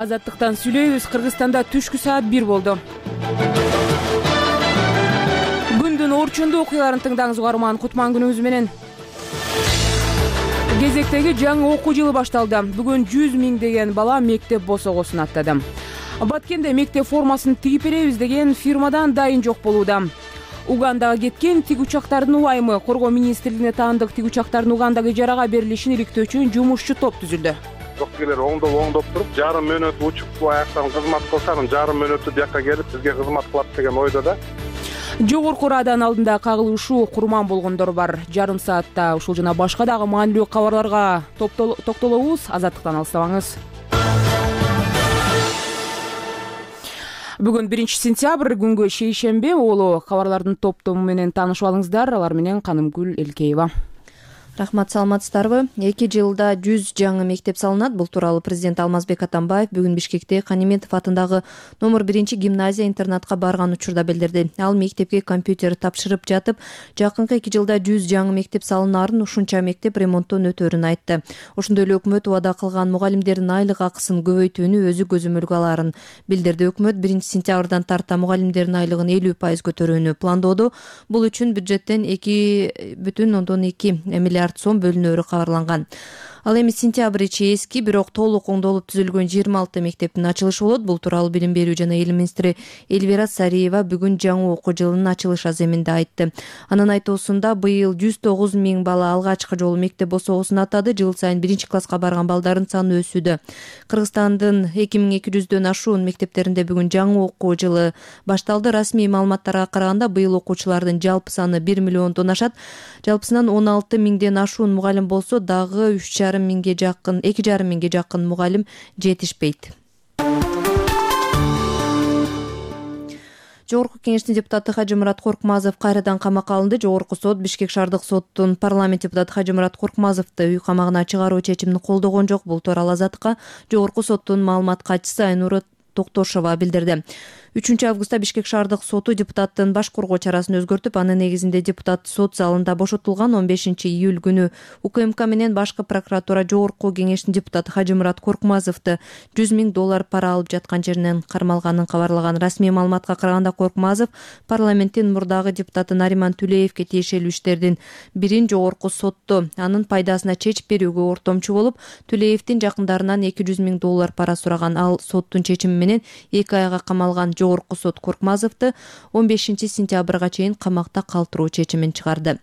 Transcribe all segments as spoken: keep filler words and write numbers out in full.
Азаттыктан сүйлөйбүз. Кыргызстанда түшкү саат бир болду. Күндүн орчундуу окуяларын тыңдаңыз угарман. Кутман күнүңүз менен. Кезектеги жаңы окуу жылы башталды. Бүгүн жүз миңдеген бала мектеп босогосун аттады. Баткенде мектеп формасын тигип беребиз деген фирмадан дайын жок болууда. Угандага кеткен тиг учактардын убайымы. Коргоо министрлигине таандык тиг учактардын Угандагы ижарага берилишин иликтөө үчүн жумушчу топ түзүлдү. Жоккелер оңдоп оңдоп туруп, жарым мүнөт учуп аяктан кызмат кылса, анан жарым мүнөттү бияка келип бизге кызмат кылат деген ойдо да. Жогорку Раадан алдында кагылышуу курман болгондор бар. Жарым саатта ушул жана башка дагы маанилүү кабарларга токтолобуз. Азаттыктан алыстабаңыз. Бүгүн биринчи сентябрь, күнгө шейшемби. Олу кабарлардын топтому менен таанышып алыңыздар. Алар менен Канымгүл Элкеева. Рахмат, саламатсыздарбы? эки жылда жүз жаңы мектеп салынат. Бул тууралуу президент Алмазбек Атамбаев бүгүн Бишкекте Каниметов атындагы номер биринчи гимназия интернатка барган учурда билдирди. Ал мектепке компьютер тапшырып жатып, жакынкы эки жылда жүз жаңы мектеп салынаарын, ушунча мектеп ремонттон өтөөрүн айтты. Ошондой эле өкмөт убада кылган мугалимдердин айлык акысын көбөйтүүнү өзү көзөмөлгө аларын билдирди. Өкмөт биринчи сентябрдан тарта мугалимдердин айлыгын элүү пайыз көтөрүүнү пландоодо. Бул үчүн бюджеттен эки бүтүн ондон эки миллиард сом бөлүнөөрү кабарланган. Ал эми сентябрь ичи эски, бирок толук оңдолуп түзүлгөн жыйырма алты мектептин ачылышы болот. Бул тууралуу билим берүү жана эл министри Эльвира Сариева бүгүн жаңы окуу жылынын ачылыш аземинде айтты. Анын айтуусунда быйыл жүз тогуз миң бала алгачкы жолу мектеп босогосун аттады. Жыл сайын биринчи класска барган балдардын саны өсүүдө. Кыргызстандын эки миң эки жүздөн ашуун мектептеринде бүгүн жаңы окуу жылы башталды. Расмий маалыматтарга караганда быйыл окуучулардын жалпы саны бир миллиондон ашат. Жалпысынан он алты миңден ашуун мугалим болсо, дагы үч жарым миңге жакын, эки жарым миңге жакын мугалим жетишпейт. Жогорку кеңештин депутаты Хажымурат Коркмазов кайрадан камакка алынды. Жогорку сот Бишкек шаардык соттун парламент депутаты Хажымурат Коркмазовду үй камагына чыгаруу чечимин колдогон жок. Бул тууралуу Азаттыкка Жогорку соттун маалымат катчысы Айнура Токтошова билдирди. үчүнчү августта Бишкек шаардык соту депутаттын баш коргоо чарасын өзгөртүп, анын негизинде депутат сот залында бошотулган. он бешинчи июль күнү УКМК менен башкы прокуратура Жогорку кеңештин депутаты Хажымурат Коркмазовду жүз миң доллар пара алып жаткан жеринен кармалганын кабарлаган. Расмий маалыматка караганда Коркмазов парламенттин мурдагы депутаты Нариман Түлеевке тиешелүү иштердин бирин Жогорку сотто анын пайдасына чечип берүүгө ортомчу болуп, Түлеевдин жакындарынан эки жүз миң доллар пара сураган. Ал соттун чечими менен эки айга камалган. Жогорку сот Коркмазовду он бешинчи сентябрга чейин камакта калтыруу чечимин чыгарды.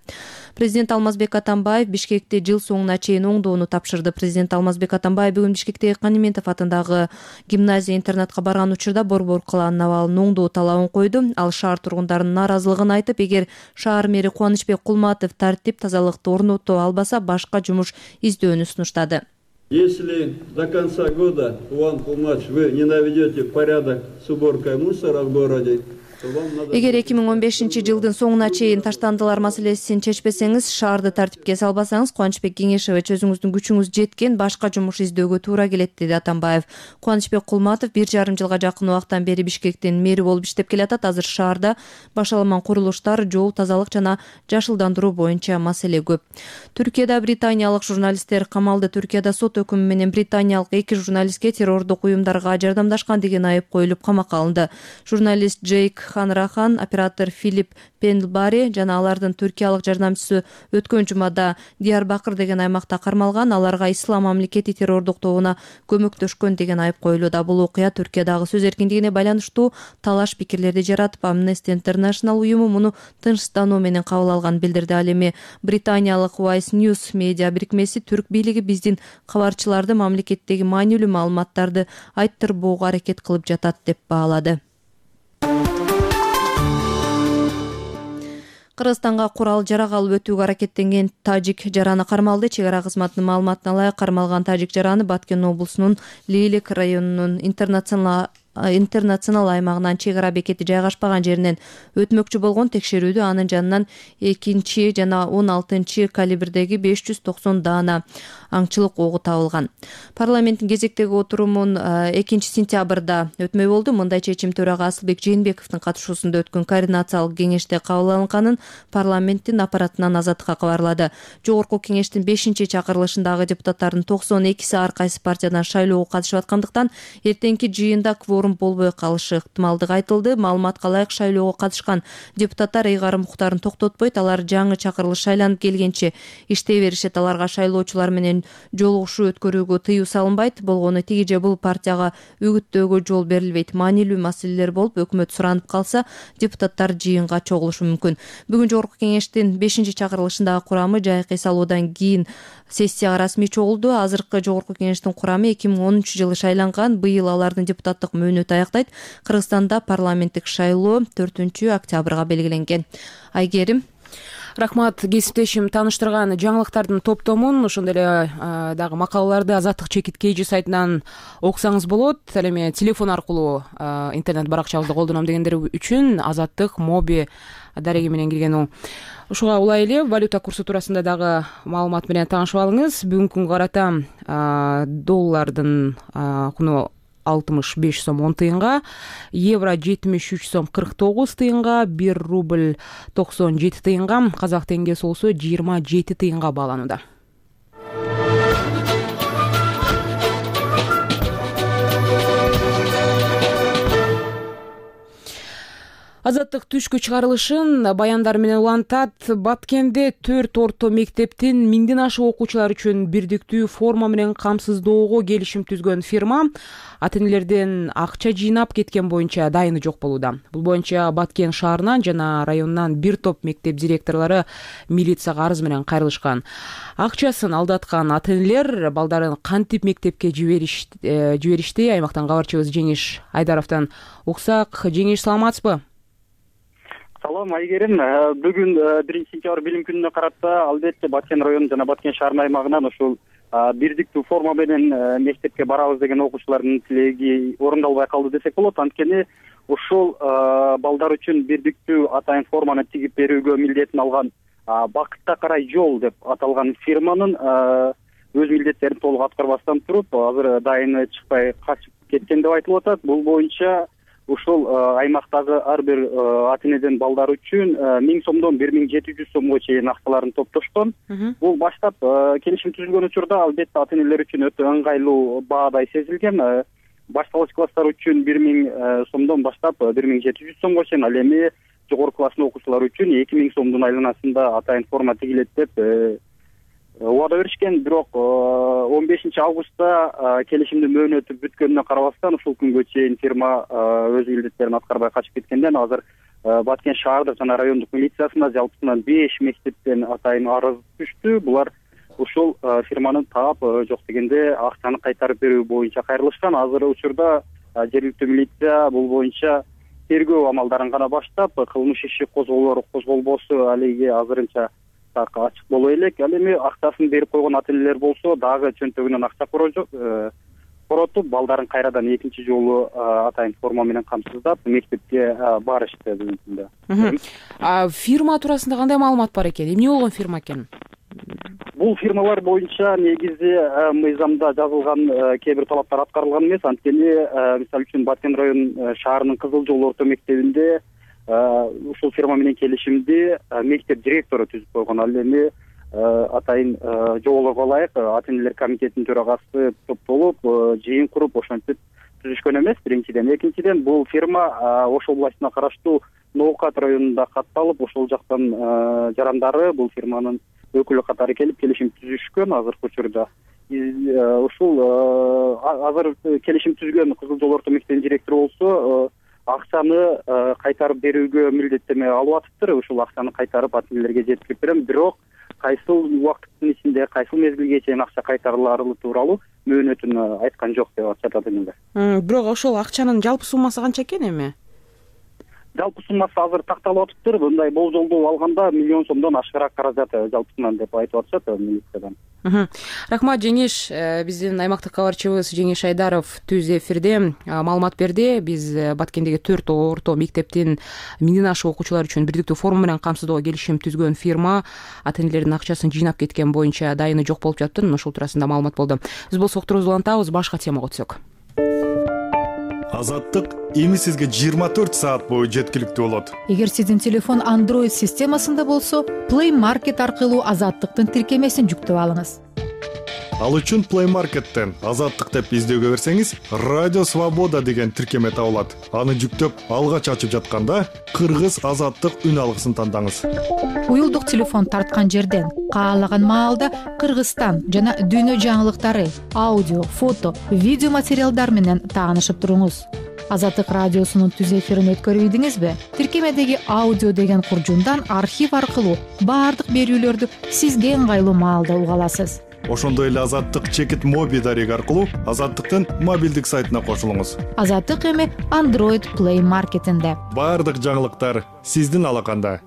Президент Алмазбек Атамбаев Бишкекте жыл соңуна чейин оңдоону тапшырды. Президент Алмазбек Атамбаев бүгүн Бишкектеги Каниметов атындагы гимназия интернатка барган учурда борбор кылаанын абалын оңдоо талабын койду. Ал шаар тургундарынын нааразылыгын айтып, эгер шаар мэри Кубанычбек Кулматов тартип тазалыкты орното албаса, башка жумуш издөөнү сунуштады. Если до конца года, Иван Кулмач, вы не наведете порядок с уборкой мусора в городе, эгер эки миң он бешинчи жылдын соңуна чейин таштандылар маселесин чечпесеңиз, шаарды тартипке салбасаңыз, Кубанычбек Кеңешевич өзүңүздүн күчүңүз жеткен башка жумуш издөөгө туура келет, деди Атамбаев. Кубанычбек Кулматов бир жарым жылга жакын убактан бери Бишкектин мэри болуп иштеп келатат. Азыр шаарда башаламан курулуштар, жол тазалык жана жашылдандыруу боюнча маселе көп. Түркияда британиялык журналисттер камалды. Түркияда сот өкүмү менен британиялык эки журналистке террордук уюмдарга жардамдашкан деген айып коюлуп камакка алынды. Журналист Джейк Ханрахан, оператор Филипп Пендлбари жана алардын түркиялык жардамчысы өткөн жумада Диярбакыр деген аймакта кармалган. Аларга Ислам мамлекети террордук тобуна көмөктөшкөн деген айып коюлууда. Бул окуя Түркиядагы сөз эркиндигине байланыштуу талаш пикирлерди жаратып, Amnesty International уюму муну тынчтануу менен кабыл алган билдирди. Ал эми британиялык Vice News медиа бирикмеси түрк бийлиги биздин кабарчыларды мамлекеттеги маанилүү маалыматтарды айттырбоого аракет кылып жатат деп баалады. Кыргызстанга курал жарак алып өтүүгө аракеттенген тажик жараны кармалды. Чек ара кызматынын маалыматына ылайык кармалган тажик жараны Баткен облусунун Лейлек районунун интернационал аймагынан чек ара бекети жайгашпаган жеринен өтмөкчү болгон текшерүүдө анын жанынан экинчи жана он алтынчы калибрдеги беш жүз токсон даана аңчылык огу табылган. Парламенттин кезектеги отурумун экинчи сентябрда өтмөй болду. Мындай чечим төрага Асылбек Жээнбековдун катышуусунда өткөн координациялык кеңеште кабыл алынганын парламенттин аппаратынан Азаттыкка кабарлады. Жогорку кеңештин бешинчи чакырылышындагы депутаттардын токсон экиси ар кайсы партиядан шайлоого катышып аткандыктан эртеңки жыйында кворум болбой калышы ыктымалдыгы айтылды. Маалыматка ылайык шайлоого катышкан депутаттар ыйгарым укуктарын токтотпойт. Алар жаңы чакырылыш шайланып келгенче иштей беришет. Аларга шайлоочулар менен жолугушуу өткөрүүгө тыюу салынбайт. Болгону тиги же бул партияга үгүттөөгө жол берилбейт. Маанилүү маселелер болуп, өкмөт суранып калса, депутаттар жыйынга чогулушу мүмкүн. Бүгүн жогорку кеңештин бешинчи чакырылышындагы курамы жайкы эс алуудан кийин сессияга расмий чогулду. Азыркы жогорку кеңештин курамы эки миң онунчу жылы шайланган. Быйыл алардын депутаттык мөөнөтү аяктайт. Кыргызстанда парламенттик шайлоо төртүнчү октябрга белгиленген. Айгерим. Рахмат, кесиптешим. Тааныштырган жаңылыктардын топтомун, ошондой эле дагы макалаларды Азаттык чекит kg сайтынан окусаңыз болот. Ал эми телефон аркылуу интернет баракчабызды колдоном дегендер үчүн Азаттык моби дареги менен кирген. Ушуга улай эле валюта курсу туурасында дагы маалымат менен таанышып алыңыз. Бүгүнкү күнгө карата доллардын куну алтымыш беш сом он тыйынга, евро жетимиш үч сом кырк тогуз тыйынга, бир рубль токсон жети тыйынга, казак теңгеси болсо жыйырма жети тыйынга бааланууда. Азаттык түшкү чыгарылышын баяндар менен улантат. Баткенде төрт орто мектептин миңден ашык окуучулар үчүн бирдиктүү форма менен камсыздоого келишим түзгөн фирма ата энелерден акча жыйнап кеткен боюнча дайыны жок болууда. Бул боюнча Баткен шаарынан жана районунан бир топ мектеп директорлору милицияга арыз менен кайрылышкан. Акчасын алдаткан ата энелер балдарын кантип мектепке жиберишти? Аймактан кабарчыбыз Жеңиш Айдаровдон уксак. Жеңиш, саламатсызбы? Салам, Айгерим. Бүгүн биринчи сентябрь билим күнүнө карата албетте Баткен району жана Баткен шаарынын аймагынан ушул бирдиктүү форма менен мектепке барабыз деген окуучулардын тилеги орундалбай калды десек болот. Анткени ушул балдар үчүн бирдиктүү атайын форманы тигип берүүгө милдетин алган Бакытка карай жол деп аталган фирманын өз милдеттерин толук аткарбастан туруп, азыр дайыны чыкпай качып кеткен деп айтылып атат. Бул боюнча ушул аймактагы ар бир ата энеден балдар үчүн миң сомдон бир миң жети жүз сомго чейин акчаларын топтошкон. Бул баштап келишим түзүлгөн учурда албетте ата энелер үчүн өтө ыңгайлуу баадай сезилген. Башталгыч класстар үчүн бир миң сомдон баштап бир миң жети жүз сомго чейин, ал эми жогорку класстын окуучулары үчүн эки миң сомдун айланасында атайын форма тигилет деп убада беришкен. Бирок он бешинчи августта келишимдин мөөнөтү бүткөнүнө карабастан ушул күнгө чейин фирма өз милдеттерин аткарбай качып кеткенден азыр Баткен шаардык жана райондук милициясына жалпысынан беш мектептен атайын арыз түштү. Булар ушул фирманы таап жок дегенде акчаны кайтарып берүү боюнча кайрылышкан. Азыр учурда жергиликтүү милиция бул боюнча тергөө амалдарын гана баштап, кылмыш иши козголор козголбосу алиге азырынча так ачык боло элек. Ал эми акчасын берип койгон ата энелер болсо дагы чөнтөгүнөн акча коротуп, балдарын кайрадан экинчи жолу атайын форма менен камсыздап мектепке барышты бүгүнкү күндө. Фирма туурасында кандай маалымат бар экен? Эмне болгон фирма экен? Бул фирмалар боюнча негизи мыйзамда жазылган кээ бир талаптар аткарылган эмес. Анткени мисалы үчүн Баткен район шаарынын Кызыл жол орто мектебинде ушул фирма менен келишимди мектеп директору түзүп койгон. Ал эми атайын жоболорго ылайык ата энелер комитетинин төрагасы топтолуп жыйын куруп ошентип түзүшкөн эмес, биринчиден. Экинчиден, бул фирма Ош областына караштуу Ноокат районунда катталып, ошол жактан жарандары бул фирманын өкүлү катары келип келишим түзүшкөн. Азыркы учурда ушул азыр келишим түзгөн Кызыл жол орто мектебинин директору болсо акчаны кайтарып берүүгө милдеттеме алып атыптыр. Ушул акчаны кайтарып ата энелерге жеткирип берем. Бирок кайсыл убакыттын ичинде, кайсыл мезгилге чейин акча кайтарылары тууралуу мөөнөтүн айткан жок деп атышат ата энелер. Бирок ошол акчанын жалпы суммасы канча экен эми? Жалпы суммасы азыр такталып атыптыр. Мындай болжолду алганда миллион сомдон ашыгыраак каражат жалпысынан деп айтып атышат милициядан. Рахмат Жеңиш. Биздин аймактык кабарчыбыз Жеңиш Айдаров түз эфирде маалымат берди. Биз Баткендеги төрт орто мектептин миңден ашык окуучулар үчүн бирдиктүү форма менен камсыздоого келишим түзгөн фирма ата энелердин акчасын жыйнап кеткен боюнча дайыны жок болуп жатты. Ошол туурасында маалымат болду. Биз болсо уктурубузду улантабыз, башка темага өтсөк. Азаттык эми сизге жыйырма төрт саат бою жеткиликтүү болот. Эгер сиздин телефон Android системасында болсо, Play Market аркылуу Азаттыктын тиркемесин жүктөп алыңыз. Ал үчүн Play Market'тен Азаттык деп издөөгө берсеңиз, Радио Свобода деген тиркеме табылат. Аны жүктөп, алгач ачып жатканда Кыргыз Азаттык үн алгысын тандаңыз. Уюлдук телефон тарткан жерден каалаган маалда Кыргызстан жана дүйнө жаңылыктары, аудио, фото, видео материалдар менен таанышып туруңуз. Азаттык радиосунун түз эфирин өткөрүп ийдиңизби? Тиркемедеги аудио деген куржундан архив аркылуу баардык берүүлөрдү сизге ыңгайлуу маалда уга аласыз. Ошондой эле Азаттык чекит моби дареги аркылуу Азаттыктын мобилдик сайтына кошулуңуз. Азаттык эми Android Play Market'инде. Баардык жаңылыктар сиздин алаканда.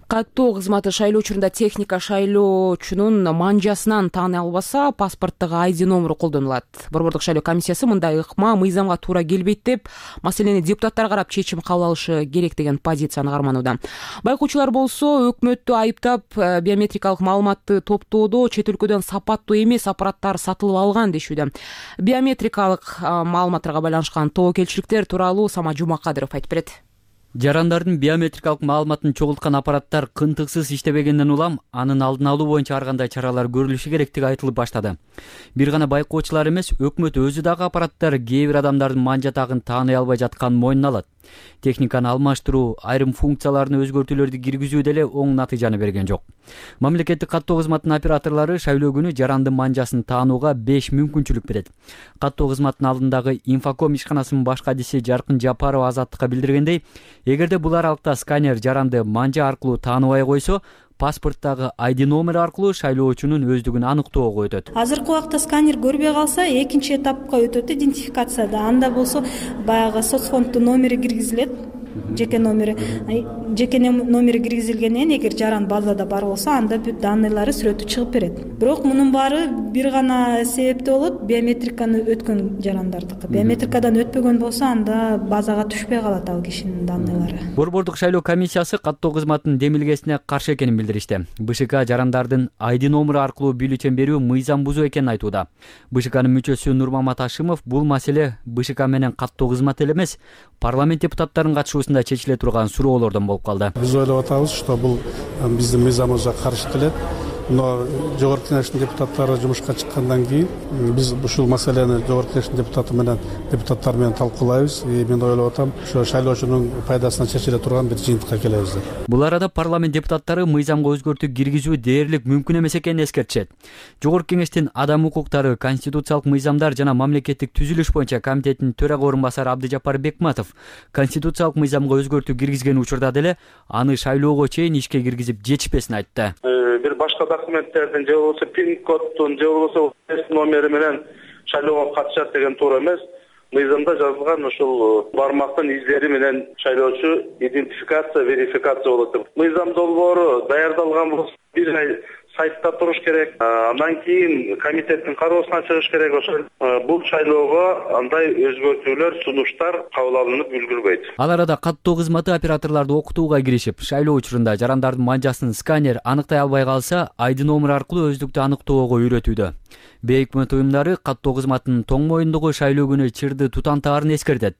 Каттоо кызматы шайлоо учурунда техника шайлоочунун манжасынан тааный албаса, паспорттогу ай ди номеру колдонулат. Борбордук шайлоо комиссиясы мындай ыкма мыйзамга туура келбейт деп, маселени депутаттар карап чечим кабыл алышы керек деген позицияны карманууда. Байкоочулар болсо өкмөттү айыптап, биометрикалык маалыматты топтоодо чет өлкөдөн сапаттуу эмес аппараттар сатылып алган дешүүдө. Биометрикалык маалыматтарга байланышкан тобокелчиликтер тууралуу Сама Жумакадыров айтып берет. Жарандардын биометрикалык маалыматын чогулткан аппараттар кынтыксыз иштебегенден улам анын алдын алуу боюнча ар кандай чаралар көрүлүшү керектиги айтылып баштады. Бир гана байкоочулар эмес, өкмөт өзү дагы аппараттар кээ бир адамдардын манжа тагын тааный албай жатканын мойнуна алат. Техниканы алмаштыруу, айрым функцияларны өзгөртүүлөрдү киргизүү деле оң натыйжаны берген жок. Мамлекеттик каттоо кызматынын операторлору шайлоо күнү жарандын манжасын таанууга беш мүмкүнчүлүк берет. Каттоо кызматынын алдындагы инфоком ишканасынын баш кадиси Жаркын Жапарова Азаттыкка билдиргендей, эгерде бул аралыкта сканер жаранды манжа аркылуу тааныбай койсо, паспорттагы ай ди номер аркылуу шайлоочунун өздүгүн аныктоого өтөт. Азыркы убакта сканер көрбөй калса, экинчи этапка өтөт идентификацияда. Анда болсо баягы соцфонддун номери киргизилет. Жеке номери, жеке номери киргизилгенден эгер жаран базада бар болсо, анда бүт данныйлары сүрөтү чыгып берет. Бирок мунун баары бир гана себепте болот, биометриканы өткөн жарандардыкы. Биометрикадан өтпөгөн болсо, анда базага түшпөй калат ал кишинин данныйлары. Борбордук шайлоо комиссиясы каттоо кызматынын демилгесине каршы экенин билдиришти. БШК жарандардын ай ди номери аркылуу бюллетень берүү мыйзам бузуу экенин айтууда. БШКнын мүчөсү Нурмамат Ашимов бул маселе БШК менен каттоо кызматы эле эмес, парламент депутаттарынын катышуусунда чечиле турган суроолордон болуп калды. Биз ойлоп атабыз, что бул биздин мыйзамыбызга каршы келет. Но жогорку кеңештин депутаттары жумушка чыккандан кийин биз ушул маселени жогорку кеңештин депутаты менен депутаттар менен талкуулайбыз. И мен ойлоп атам, ошо шайлоочунун пайдасына чечиле турган бир жыйынтыкка келебиз деп. Бул арада парламент депутаттары мыйзамга өзгөртүү киргизүү дээрлик мүмкүн эмес экенин эскертишет. Жогорку кеңештин адам укуктары, конституциялык мыйзамдар жана мамлекеттик түзүлүш боюнча комитетинин төрага орун басары Абдыжапар Бекматов конституциялык мыйзамга өзгөртүү киргизген учурда деле аны шайлоого чейин ишке киргизип жетишпесин айтты. Бир башка документтердин же болбосо пин коддун же болбосо номери менен шайлоого катышат деген туура эмес. Мыйзамда жазылган ушул бармактын издери менен шайлоочу идентификация, верификация болот деп. Мыйзам долбоору даярдалган болсо бир ай сайтта туруш керек. Андан кийин комитеттин кароосуна чыгыш керек. Ошол бул шайлоого андай өзгөртүүлөр, сунуштар кабыл алынып үлгүрбөйт. Ал арада каттоо кызматы операторлорду окутууга киришип, шайлоо учурунда жарандардын манжасын сканер аныктай албай калса, ай ди номер аркылуу өздүктү аныктоого үйрөтүүдө. Бейөкмөт уюмдары каттоо кызматынын тоң моюндугу шайлоо күнү чырды тутантаарын эскертет.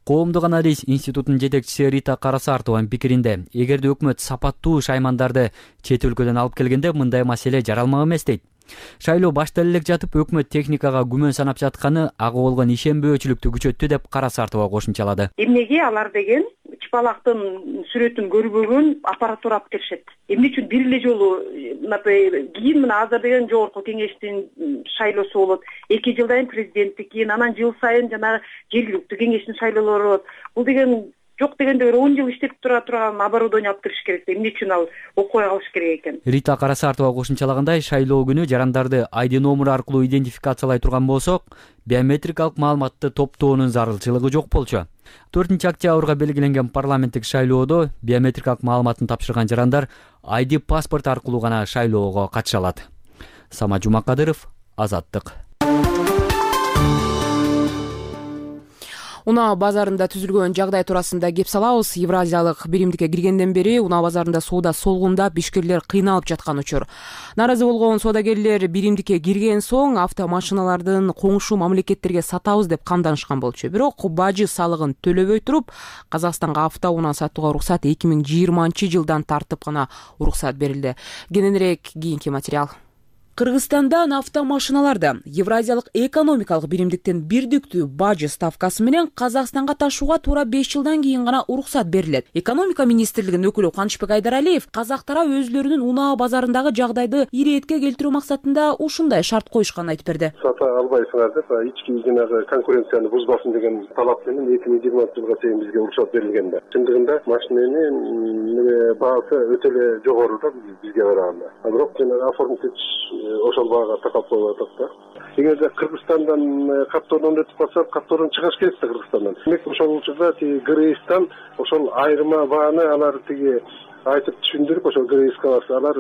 Коомдук анализ институтунун жетекчиси Рита Карасартованын пикиринде, эгерде өкмөт сапаттуу шаймандарды чет өлкөдөн алып келгенде мындай маселе жаралмак эмес дейт. Шайлоо башталып элек жатып өкмөт техникага күмөн санап жатканы ага болгон ишенбөөчүлүктү күчөттү деп Карасартова кошумчалады. Эмнеге алар деген чыпалактын сүрөтүн көрбөгөн аппаратура алып келишет. Эмне үчүн бир эле жолу кийин мына азыр деген жогорку кеңештин шайлоосу болот. эки жылдан президенттик, кийин анан жыл сайын жана жергиликтүү кеңештин шайлоолору болот. Бул деген жок дегенде бир он жыл иштеп тура турган оборудование алып кириш керек. Эмне үчүн ал окуй калыш керек экен? Рита Карасартова кошумчалагандай, шайлоо күнү жарандарды ай ди номери аркылуу идентификациялай турган болсок, биометрикалык маалыматты топтоонун зарылчылыгы жок болчу. төртүнчү октябрга белгиленген парламенттик шайлоодо биометрикалык маалыматын тапшырган жарандар ай ди паспорт аркылуу гана шайлоого катыша алат. Самат Жумакадыров, Азаттык. Унаа базарында түзүлгөн жагдай туурасында кеп салабыз. Евразиялык биримдикке киргенден бери унаа базарында соода солгундап, ишкерлер кыйналып жаткан учур. Нааразы болгон соодагерлер биримдикке кирген соң автомашиналардын коңшу мамлекеттерге сатабыз деп камданышкан болчу. Бирок бажы салыгын төлөбөй туруп, Казакстанга автоунаа сатууга уруксат эки миң жыйырманчы жылдан тартып гана уруксат берилди. Кененирээк кийинки материал. Кыргызстандан автомашиналарды Евразиялык экономикалык биримдиктен бирдиктүү бажы ставкасы менен Казакстанга ташууга туура беш жылдан кийин гана уруксат берилет. Экономика министрлигинин өкүлү Канычбек Айдаралиев Казак тарап өзлөрүнүн унаа базарындагы жагдайды иретке келтирүү максатында ушундай шарт коюшканын айтып берди. Сата албайсыңар деп, ички жанагы конкуренцияны бузбасын деген талап менен эки миң жыйырманчы жылга чейин бизге уруксат берилген да. Чындыгында машиненин баасы өтө эле жогору да бизге караганда. Бирок жанагы оформитель ошол баага такап коюп атат да. Эгерде Кыргызстандан каттордон өтүп калса, каттордон чыгыш керек да Кыргызстандан. Демек ошол учурда тиги ГРИСтан ошол айырма бааны алар тиги айтып түшүндүрүп, ошол ГРИСке барса алар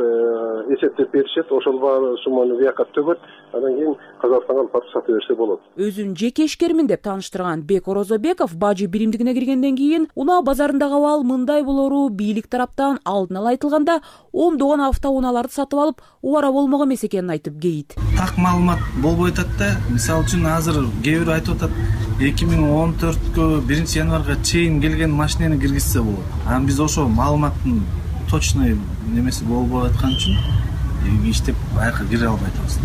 эсептеп беришет, ошол бааны сумманы бияка төгөт, андан кийин Казакстанга алып барып сата берсе болот. Өзүн жеке ишкермин деп тааныштырган Бек Орозобеков бажы биримдигине киргенден кийин унаа базарындагы абал мындай болору бийлик тараптан алдын ала айтылганда ондогон автоунааларды сатып алып убара болмок эмес экенин айтып кейит. Так маалымат болбой атат да. Мисалы үчүн азыр кээ бирөө айтып атат эки миң он төрткө биринчи январга чейин келген машинени киргизсе болот. Анан биз ошол маалыматтын точный немеси болбой аткан үчүн иштеп аяка кире албай атабыз.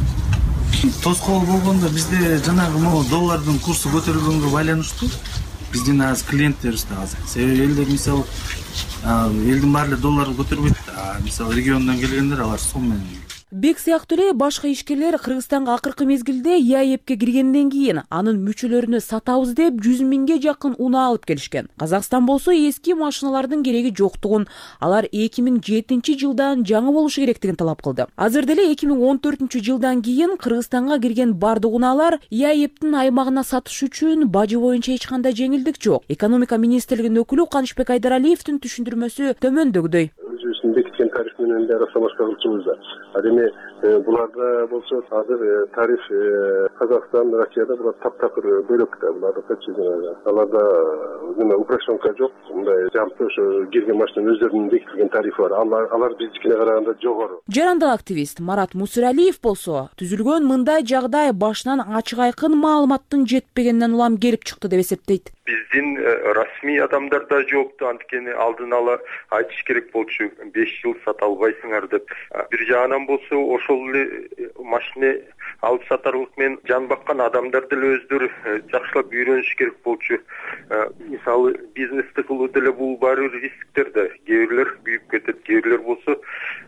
Тоскоол болгондо бизде жанагы могу доллардын курсу көтөрүлгөнгө байланыштуу биздин азыр клиенттерибиз да азыр. Себеби элдер мисалы элдин баары эле долларды көтөрбөйт. Мисалы региондон келгендер алар сом менен. Бек сыяктуу эле башка ишкерлер Кыргызстанга акыркы мезгилде ЯЭПке киргенден кийин анын мүчөлөрүнө сатабыз деп жүз миңге жакын унаа алып келишкен. Казакстан болсо эски машиналардын кереги жоктугун, алар эки миң жетинчи жылдан жаңы болушу керектигин талап кылды. Азыр деле эки миң он төртүнчү жылдан кийин Кыргызстанга кирген бардык унаалар ЯЭПтин аймагына сатыш үчүн бажы боюнча эч кандай жеңилдик жок. Экономика министрлигинин өкүлү Канычбек Айдаралиевдин түшүндүрмөсү төмөндөгүдөй. Өзүбүздүн бекиткен тариф менен да расамашка кылчубуз да. Эми буларда болсо азыр тариф Казакстан, Россияда булар таптакыр бөлөк да. Буларда качы аларда неме упрощенка жок. Мындай жампы ошо кирген машинанын өздөрүнүн бекитилген тарифи бар. Алар алар биздикине караганда жогору. Жарандык активист Марат Мусиралиев болсо түзүлгөн мындай жагдай башынан ачык айкын маалыматтын жетпегенинен улам келип чыкты деп эсептейт. Биздин расмий адамдарда жокту, анткени алдын ала айтыш керек болчу беш жыл сата албайсыңар деп. Бир жагынан болсо ошол эле машина алып сатарлык менен жан баккан адамдар деле өздөрү жакшылап үйрөнүш керек болчу. Мисалы бизнести кылуу деле бул баары рисктер да. Кээ бирлер күйүп кетет, кээ бирлер болсо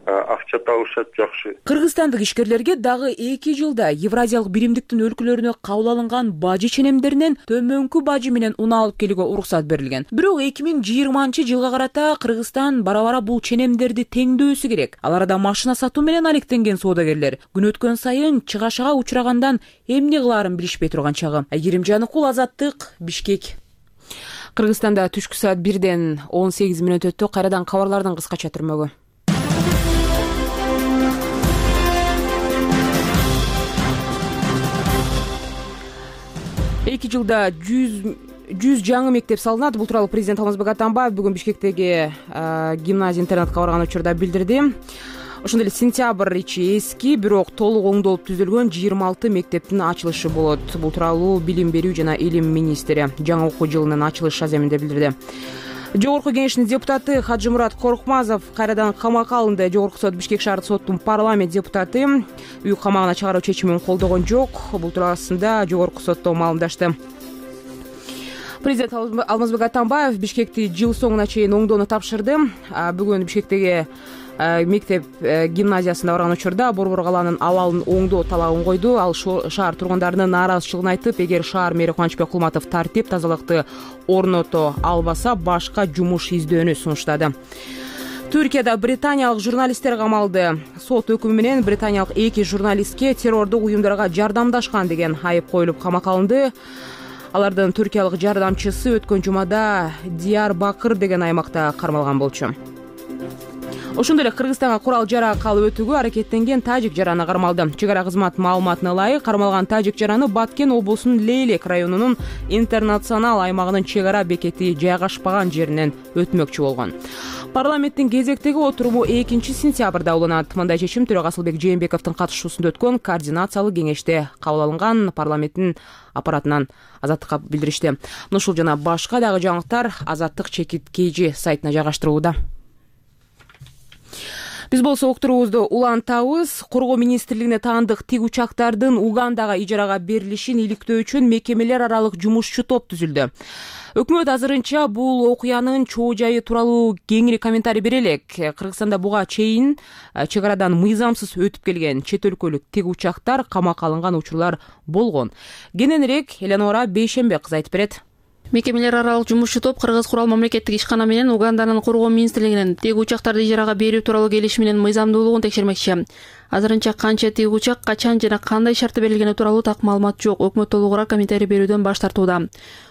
акча табышат жакшы. Кыргызстандык ишкерлерге дагы эки жылда Евразиялык биримдиктин өлкөлөрүнө кабыл алынган бажы ченемдеринен төмөнкү бажы менен унаа алып келүүгө уруксат берилген. Бирок эки миң жыйырманчы жылга карата Кыргызстан бара-бара бул ченемдерди теңдөөсү керек. Аларда машина сатуу менен алектенген соодагерлер күн өткөн сайын чыгашага учурагандан эмне кылаарын билишпей турган чагы. Айгерим Жаныкул, Азаттык, Бишкек. Кыргызстанда түшкү саат бирден он сегиз мүнөт өттү. Кайрадан кабарлардын кыскача түрмөгү. эки жылда жүз жаңы мектеп салынат. Бул тууралуу президент Алмазбек Атамбаев бүгүн Бишкектеги гимназия интернатка барган учурда билдирди. Ошондой эле сентябрь ичи эски, бирок толук оңдолуп түзүлгөн жыйырма алты мектептин ачылышы болот. Бул тууралуу Билим берүү жана илим министри жаңы окуу жылынын ачылыш аземинде билдирди. Жогорку кеңештин депутаты Хаджимурат Коркмазов кайрадан камакка алынды. Жогорку сот Бишкек шаардык соттун парламент депутаты үй камагына чыгаруу чечимин колдогон жок. Бул туурасында жогорку сотто маалымдашты. Президент Алмазбек Атамбаев Бишкекти жыл соңуна чейин оңдоону тапшырды. Бүгүн Бишкектеги мектеп гимназиясына барган учурда Борбор калаанын абалын оңдоо талабын койду. Ал шаар тургундарынын нааразычылыгын айтып, эгер шаар мэри Кубанычбек Кулматов тартип тазалыкты орното албаса, башка жумуш издөөнү сунуштады. Түркияда британиялык журналисттер камалды. Сот өкүмү менен британиялык эки журналистке террордук уюмдарга жардамдашкан деген айып коюлуп камакка алынды. Алардын түркиялык жардамчысы өткөн жумада Диярбакыр деген аймакта кармалган болчу. Ошондой эле Кыргызстанга курал жарак алып өтүүгө аракеттенген тажик жараны кармалды. Чек ара кызмат маалыматына ылайык, кармалган тажик жараны Баткен облусунун Лейлек районунун интернационал аймагынын чек ара бекети жайгашпаган жеринен өтмөкчү болгон. Парламенттин кезектеги отуруму экинчи сентябрда уланат. Мындай чечим Төрөгө Асылбек Жээнбековдун катышуусунда өткөн координациялык кеңеште кабыл алынган. Парламенттин аппаратынан Азаттыкка билдиришти. Ушул жана башка дагы жаңылыктар Азаттык чекит kg сайтына жайгаштырылууда. Биз болсо уктуруубузду улантабыз. Коргоо министрлигине таандык тик учактардын Угандага ижарага берилишин иликтөө үчүн мекемелер аралык жумушчу топ түзүлдү. Өкмөт азырынча бул окуянын чоо жайы тууралуу кеңири комментарий бере элек. Кыргызстанда буга чейин чек арадан мыйзамсыз өтүп келген чет өлкөлүк тик учактар камакка алынган учурлар болгон. Кененирээк Эленора Бейшембек кыз айтып берет. Мекемелер аралык жумушчу топ Кыргыз курал мамлекеттик ишкана менен Уганданын коргоо министрлигинин тик учактарды ижарага берүү тууралуу келишиминин мыйзамдуулугун текшермекчи. Азырынча канча тик учак, качан жана кандай шарты берилгени тууралуу так маалымат жок. Өкмөт толугураак комментарий берүүдөн баш тартууда.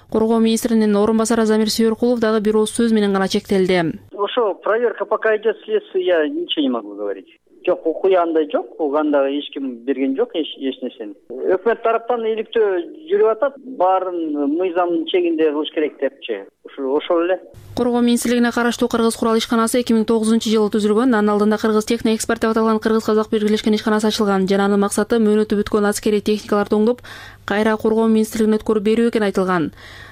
Коргоо министринин орун басары Замир Сүйөркулов дагы бир ооз сөз менен гана чектелди. Ошо проверка пока идет следствие, я ничего не могу говорить. Жок, окуя андай жок, Угандага эч ким берген жок эч нерсени. Өкмөт тараптан иликтөө жүрүп атат, баарын мыйзамдын чегинде кылыш керек депчи. Ошол эле. Коргоо министрлигине караштуу Кыргыз курал ишканасы эки миң тогузунчу жылы түзүлгөн. Анын алдында Кыргыз техно экспорт деп аталган Кыргыз-Казак биргелешкен ишканасы ачылган. Жана анын максаты мөөнөтү бүткөн аскерий техникаларды оңдоп, кайра коргоо министрлигине өткөрүп берүү экени айтылган.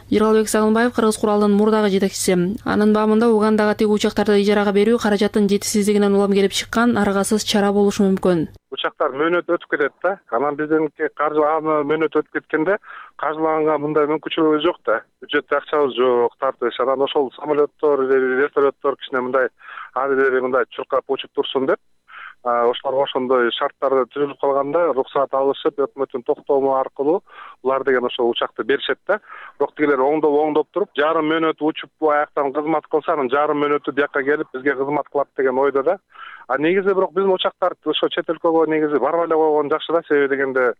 Жыргалбек Сагынбаев Кыргыз куралдын мурдагы жетекчиси. Анын баамында Угандага тик учактарды ижарага берүү каражаттын жетишсиздигинен улам келип чыккан аргасыз чара болушу мүмкүн. Учактар мөөнөт өтүп кетет да. Анан бизденки каржы мөөнөт өтүп кеткенде каржылаганга мындай мүмкүнчүлүгүбүз жок да. Бюджетте акчабыз жок, тартыш. Анан ошол самолеттор, вертолеттор кичине мындай адилери мындай чуркап учуп турсун деп ошолорго ошондой шарттарды түзүлүп калганда уруксаат алышып, өкмөттүн токтому аркылуу булар деген ошол учакты беришет да. Бирок тигилер оңдоп оңдоп туруп, жарым мөөнөт учуп аяктан кызмат кылса, анан жарым мөөнөтү бияка келип бизге кызмат кылат деген ойдо да. А негизи бирок биздин учактар ошо чет өлкөгө негизи барбай эле койгон жакшы да, себеби дегенде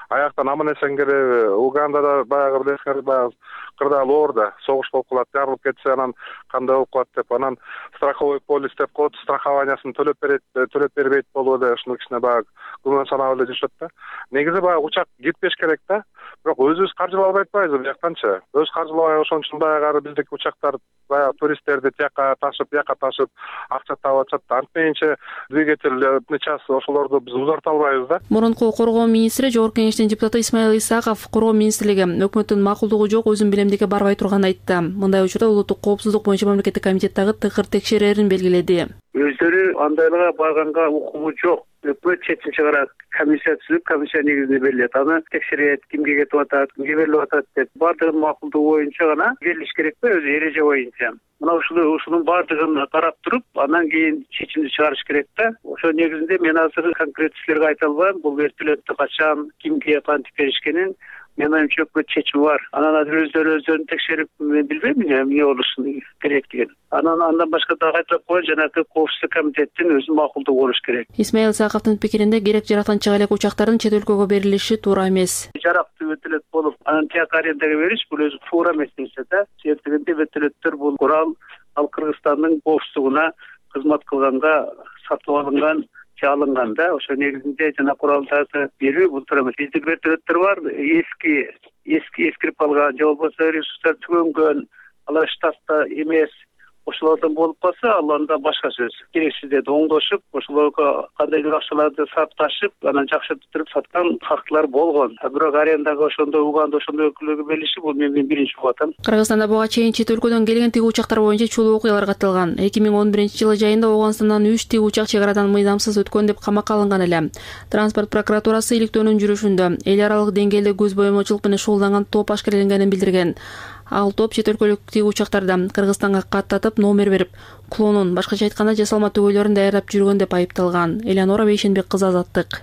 аяктан аман эсен келип, Угандада баягы билесиңер, баягы кырдаал оорда согуш болуп калат, жарылып кетсе анан кандай болуп калат деп, анан страховой полис деп коет, страхованиясын төлөп берет, төлөп бербейт болуп эле ушуну кичине баягы күмөн санап эле жүрүшөт да. Негизи баягы учак кетпеш керек да. Бирок өзүбүз каржылабай атпайбыз бияктанчы. Өз каржылабай ошон үчүн баягы биздики учактар баягы туристтерди тияка ташып, бияка ташып акча таап атышат да. Антменче двигательный час ошолорду биз узарта албайбыз да. Мурунку коргоо министри, жогорку кеңештин депутаты Исмаил Исаков коргоо министрлиги өкмөттүн макулдугу жок, өзүн билемдикке барбай турганын айтты. Мындай учурда улуттук коопсуздук боюнча мамлекеттик комитеттагы тыкыр текшерерин белгиледи. Өздөрү андайларга барганга укугу жок. Өкмөт четинчи кара комиссия түзүп, комиссия негизинде берилет. Аны текшерет, кимге кетип атат, кимге берилип атат деп баардыгын макулдугу боюнча гана берилиш керекпи, өзү эреже боюнча. Мына ушуну ушунун баардыгын карап туруп, андан кийин чечимди чыгарыш керек да. Ошо негизинде мен азыр конкрет силерге айта албайм, бул вертолетту качан, кимге кантип беришкенин мен оюмча өкмөт чечими бар. Анан азыр өздөрү өздөрүн текшерип, мен билбейм эмне болушу керектигин. Анан андан башка дагы айтып коеюн, жанагы коопсуздук комитеттин өзүнүн макулдугу болуш керек. Исмаил Саковдун пикиринде керек жарактан чыга элек учактардын чет өлкөгө берилиши туура эмес. Жарактуу вертолет болуп, анан тияк арендага бериш бул өзү туура эмес нерсе да. Себеби вертолеттер бул курал ал Кыргызстандын коопсуздугуна кызмат кылганга сатып алынган, алынган да. Ошо негизинде жана куралдарды берүү бул туура эмес. Биздин вертолеттер бар, эски эски эскирип калган, же болбосо ресурстар түгөнгөн, алар штатта эмес. Ошолордон болуп калса, ал анда башка сөз. Керексиздерди оңдошуп, ошолорго кандайдыр акчаларды сатып, анан жакшыртып саткан фактылар болгон. Бирок арендага ошондой Уганда ошондой өлкөлөргө берилиши бул мен биринчи угуп атам. Кыргызстанда буга чейин чет өлкөдөн келген тиг учактар боюнча чулуу окуялар катталган. эки миң он биринчи жылы жайында Ооганстандан үч тиг учак чек арадан мыйзамсыз өткөн деп камакка алынган эле. Транспорт прокуратурасы иликтөөнүн жүрүшүндө эл аралык деңгээлде көз боемочулук менен шуулданган топ ашкереленгенин билдирген. Ал топ чет өлкөлүк тиг учактарды Кыргызстанга каттатып, номер берип, клонун, башкача айтканда жасалма түгөйлөрүн даярдап жүргөн деп айыпталган. Эленора Бейшенбек кызы, Азаттык.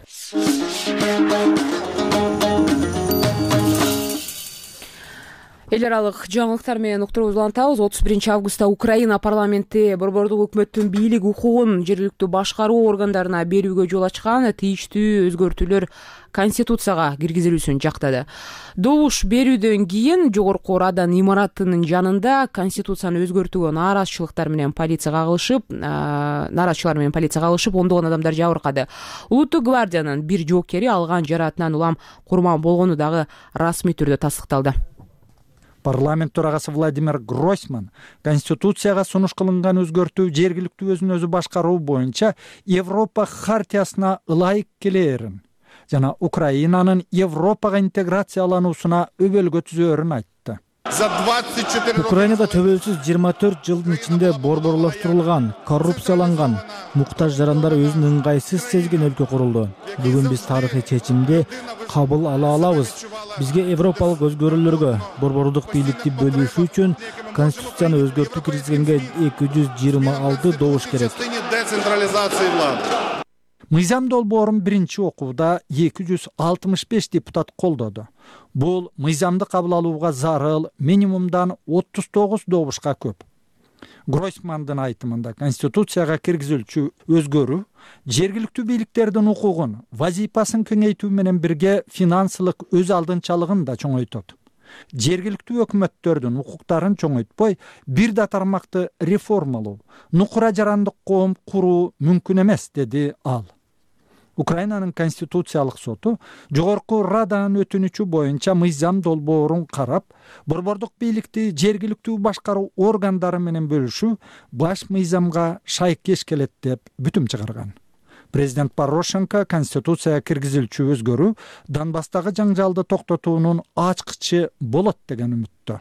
эл аралык жаңылыктар менен уктуруубузду улантабыз. отуз биринчи августта Украина парламенти борбордук өкмөттүн бийлик укугун жергиликтүү башкаруу органдарына берүүгө жол ачкан тийиштүү өзгөртүүлөр Конституцияга киргизилүүсүн жактады. Добуш берүүдөн кийин жогорку Радан имаратынын жанында Конституцияны өзгөртүүгө нааразычылыктар менен полиция кагылышып, нааразычылар менен полиция кагылышып, ондогон адамдар жабыркады. Улуттук гвардиянын бир жоокери алган жараатынан улам курман болгону дагы расмий түрдө тастыкталды. Парламент төрагасы Владимир Гройсман Конституцияга сунуш кылынган өзгөртүү жергиликтүү өзүн өзү башкаруу боюнча Европа хартиясына ылайык келээрин жана Украинанын Европага интеграциялануусуна өбөлгө түзөөрүн айтты. Украинада төбөлсүз жыйырма төрт жылдын ичинде борборлоштурулган, коррупцияланган, муктаж жарандар өзүн ыңгайсыз сезген өлкө курулду. Бүгүн биз тарыхый чечимди кабыл ала алабыз. Бизге европалык өзгөрүүлөргө, борбордук бийликти бөлүшүү үчүн Конституцияны өзгөртүү киргизгенге эки жүз жыйырма алты добуш керек. Мыйзам долбоорун биринчи окууда эки жүз алтымыш беш депутат колдоду. Бул мыйзамды кабыл алууга зарыл минимумдан отуз тогуз добушка көп. Гройсмандын айтымында Конституцияга киргизилчү өзгөрүү жергиликтүү бийликтердин укугун, вазифасын кеңейтүү менен бирге финансылык өз алдынчалыгын да чоңойтот. Жергиликтүү өкмөттөрдүн укуктарын чоңойтпой, бир да тармакты реформалоо, нукура жарандык коом куруу мүмкүн эмес, деди ал. Украинанын конституциялык соту жогорку Раданын өтүнүчү боюнча мыйзам долбоорун карап, борбордук бийликти жергиликтүү башкаруу органдары менен бөлүшүү баш мыйзамга шайкеш келет деп бүтүм чыгарган. Президент Порошенко Конституцияга киргизилчү өзгөрүү Донбасстагы жаңжалды токтотуунун ачкычы болот деген үмүттө.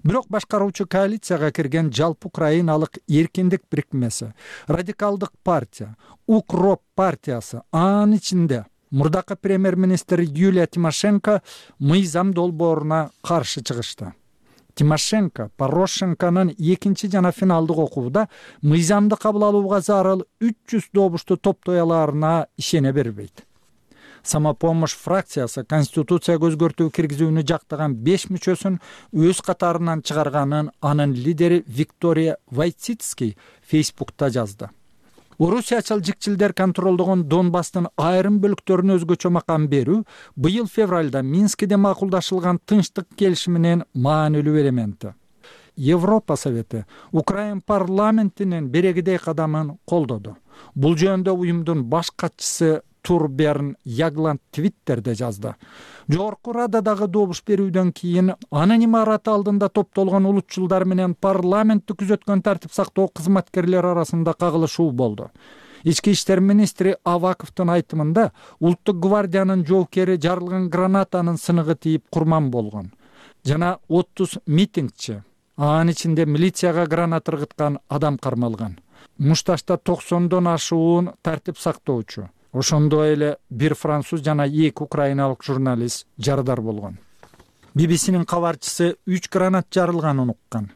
Бирок башкаруучу коалицияга кирген жалпы украиналык эркиндик бирикмеси, радикалдык партия, Укроп партиясы, анын ичинде мурдакы премьер-министр Юлия Тимошенко мыйзам долбооруна каршы чыгышты. Тимошенко Порошенконун экинчи жана финалдык окууда мыйзамды кабыл алууга зарыл үч жүз добушту топтой алаарына ишене бербейт. Самопомощь фракциясы Конституцияга өзгөртүү киргизүүнү жактаган беш мүчөсүн өз катарынан чыгарганын анын лидери Виктория Войцицкий Фейсбукта жазды. Орусиячыл жикчилдер контролдогон Донбасстын айрым бөлүктөрүнө өзгөчө макам берүү быйыл февралда Минскиде макулдашылган тынчтык келишиминин маанилүү элементи. Европа Совети Украин парламентинин берегидей кадамын колдоду. Бул жөнүндө уюмдун баш катчысы Турберн Ягланд Твиттерде жазды. Жогорку Рададагы добуш берүүдөн кийин анын имараты алдында топтолгон улутчулдар менен парламентти күзөткөн тартип сактоо кызматкерлери арасында кагылышуу болду. Ички иштер министри Аваковдун айтымында улуттук гвардиянын жоокери жарылган гранатанын сыныгы тийип курман болгон. Жана отуз митингчи, анын ичинде милицияга граната ыргыткан адам кармалган. Мушташта токсондон ашуун тартип сактоочу, ошондой эле бир француз жана эки украиналык журналист жарадар болгон. би би синин кабарчысы үч гранат жарылганын уккан.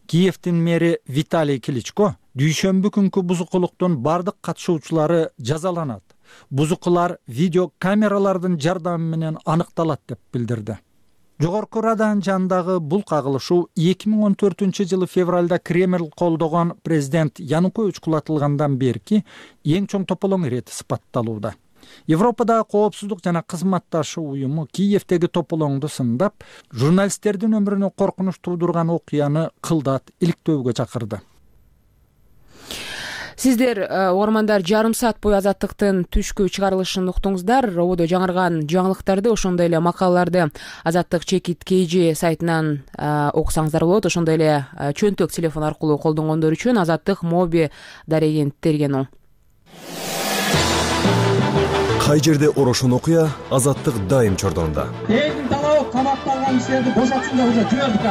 Киевдин мэри Виталий Кличко дүйшөмбү күнкү бузукулуктун бардык катышуучулары жазаланат. Бузукулар видео камералардын жардамы менен аныкталат деп билдирди. Жогорку Раданын жанындагы бул кагылышуу эки миң он төртүнчү жылы февралда Кремль колдогон президент Янукович кулатылгандан берки эң чоң тополоң ирети сыпатталууда. Европадагы коопсуздук жана кызматташуу уюму Киевдеги тополоңду сындап, журналисттердин өмүрүнө коркунуч туудурган окуяны кылдат иликтөөгө чакырды. Сиздер угармандар жарым саат бою Азаттыктын түшкү чыгарылышын уктуңуздар. Ободо жаңырган жаңылыктарды, ошондой эле макалаларды Азаттык чекит kg сайтынан окусаңыздар болот. Ошондой эле чөнтөк телефон аркылуу колдонгондор үчүн Азаттык моби дареген терген оң. Кай жерде орошон окуя, Азаттык дайым чордонда. Элдин талабы камакталган кишилерди бошотсун деп уже жибердик.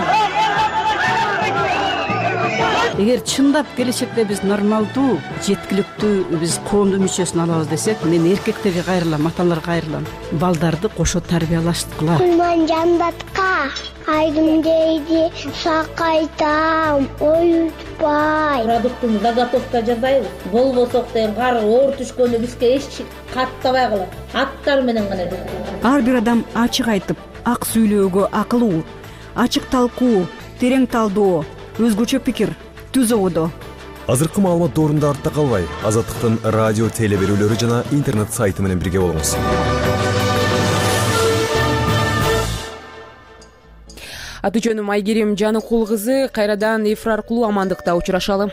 Эгер чындап келечекте биз нормалдуу, жеткиликтүү биз коомдун мүчөсүн алабыз десек, мен эркектерге кайрылам, аталарга кайрылам. Балдарды кошо тарбиялашкыла. Кулман жандатка айдым дейди, сакайтам, оютпай. Продуктун заготовка жасайбыз. Болбосок деген кар оор түшкөндө бизге эч каттабай калат. Аттар менен гана. Ар бир адам ачык айтып, ак сүйлөөгө акылуу. ачык талкуу, терең талдоо, өзгөчө пикир, түз ободо. Азыркы маалымат доорунда артта калбай, Азаттыктын радио теле берүүлөрү жана интернет сайты менен бирге болуңуз. Аты жөнүм Айгерим Жаныкул кызы. Кайрадан эфир аркылуу амандыкта учурашалы.